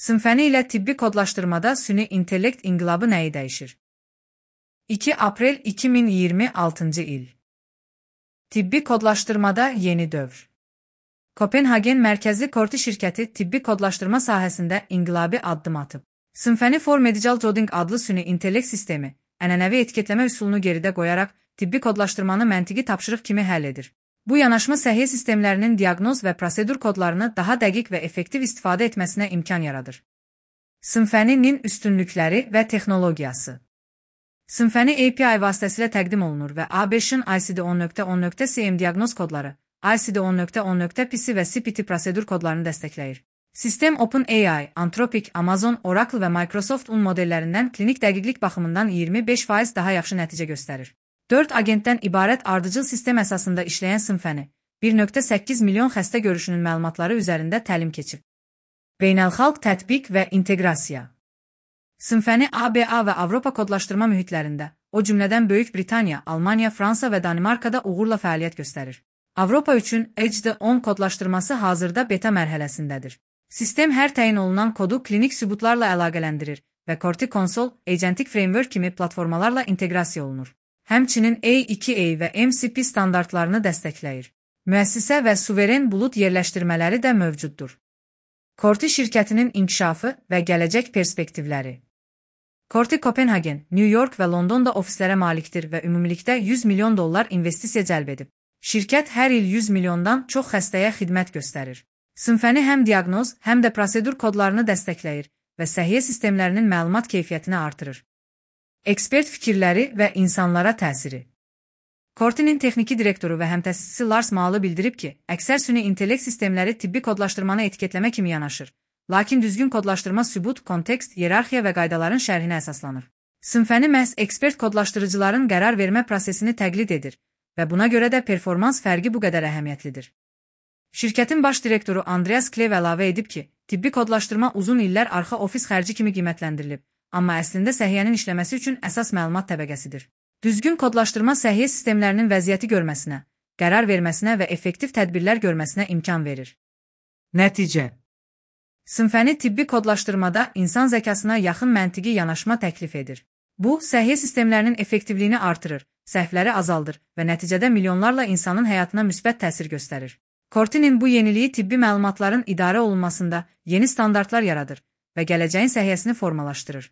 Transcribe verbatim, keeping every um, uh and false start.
Symfony ilə tibbi kodlaşdırmada süni intellekt inqilabı nəyi dəyişir? iki aprel iki min iyirmi altıncı il. Tibbi kodlaşdırmada yeni dövr. Kopenhagen mərkəzli Korti şirkəti tibbi kodlaşdırma sahəsində inqilabi addım atıb. Symfony for Medical Coding adlı süni intellekt sistemi, ənənəvi etiketləmə üsulunu geridə qoyaraq tibbi kodlaşdırmanı məntiqi tapşırıq kimi həll edir. Bu yanaşma səhiyyə sistemlərinin diaqnoz və prosedur kodlarını daha dəqiq və effektiv istifadə etməsinə imkan yaradır. Symfony-nin üstünlükləri və texnologiyası. Symfony A P I vasitəsilə təqdim olunur və A beşin I C D on nöqtə on nöqtə C M diaqnoz kodları, I C D on nöqtə on nöqtə P C və C P T prosedur kodlarını dəstəkləyir. Sistem OpenAI, Anthropic, Amazon, Oracle və Microsoft un modellərindən klinik dəqiqlik baxımından iyirmi beş faiz daha yaxşı nəticə göstərir. dörd agentdən ibarət ardıcıl sistem əsasında işləyən Symfony, bir nöqtə səkkiz milyon xəstə görüşünün məlumatları üzərində təlim keçib. Beynəlxalq tətbiq və inteqrasiya. Symfony A B A və Avropa kodlaşdırma mühitlərində, o cümlədən Böyük Britaniya, Almaniya, Fransa və Danimarkada uğurla fəaliyyət göstərir. Avropa üçün H D on kodlaşdırması hazırda beta mərhələsindədir. Sistem hər təyin olunan kodu klinik sübutlarla əlaqələndirir və Corti Console, Agentic Framework kimi platformalarla inteqrasiya olunur. Həmçinin A iki A və M C P standartlarını dəstəkləyir. Müəssisə və suveren bulut yerləşdirmələri də mövcuddur. Corti şirkətinin inkişafı və gələcək perspektivləri. Corti Kopenhagen, New York və Londonda ofislərə malikdir və ümumilikdə yüz milyon dollar investisiya cəlb edib. Şirkət hər il yüz milyondan çox xəstəyə xidmət göstərir. Symfony həm diaqnoz, həm də prosedur kodlarını dəstəkləyir və səhiyyə sistemlərinin məlumat keyfiyyətini artırır. Ekspert fikirləri və insanlara təsiri. Cortinin texniki direktoru və həmtəsisçisi Lars Malı bildirib ki, əksər süni intellekt sistemləri tibbi kodlaşdırmanı etiketləmə kimi yanaşır, lakin düzgün kodlaşdırma sübut, kontekst, iyerarxiya və qaydaların şərhinə əsaslanır. Symfony məhz ekspert kodlaşdırıcıların qərar vermə prosesini təqlid edir və buna görə də performans fərqi bu qədər əhəmiyyətlidir. Şirkətin baş direktoru Andreas Klev əlavə edib ki, tibbi kodlaşdırma uzun illər arxa ofis xərci kimi qiymətləndirilib, amma əslində səhiyyənin işləməsi üçün əsas məlumat təbəqəsidir. Düzgün kodlaşdırma səhiyyə sistemlərinin vəziyyəti görməsinə, qərar verməsinə və effektiv tədbirlər görməsinə imkan verir. Nəticə. Symfony tibbi kodlaşdırmada insan zəkasına yaxın məntiqi yanaşma təklif edir. Bu, səhiyyə sistemlərinin effektivliyini artırır, səhvləri azaldır və nəticədə milyonlarla insanın həyatına müsbət təsir göstərir. Cortinin bu yeniliyi tibbi məlumatların idarə olunmasında yeni standartlar yaradır və gələcəyin səhiyyəsini formalaşdırır.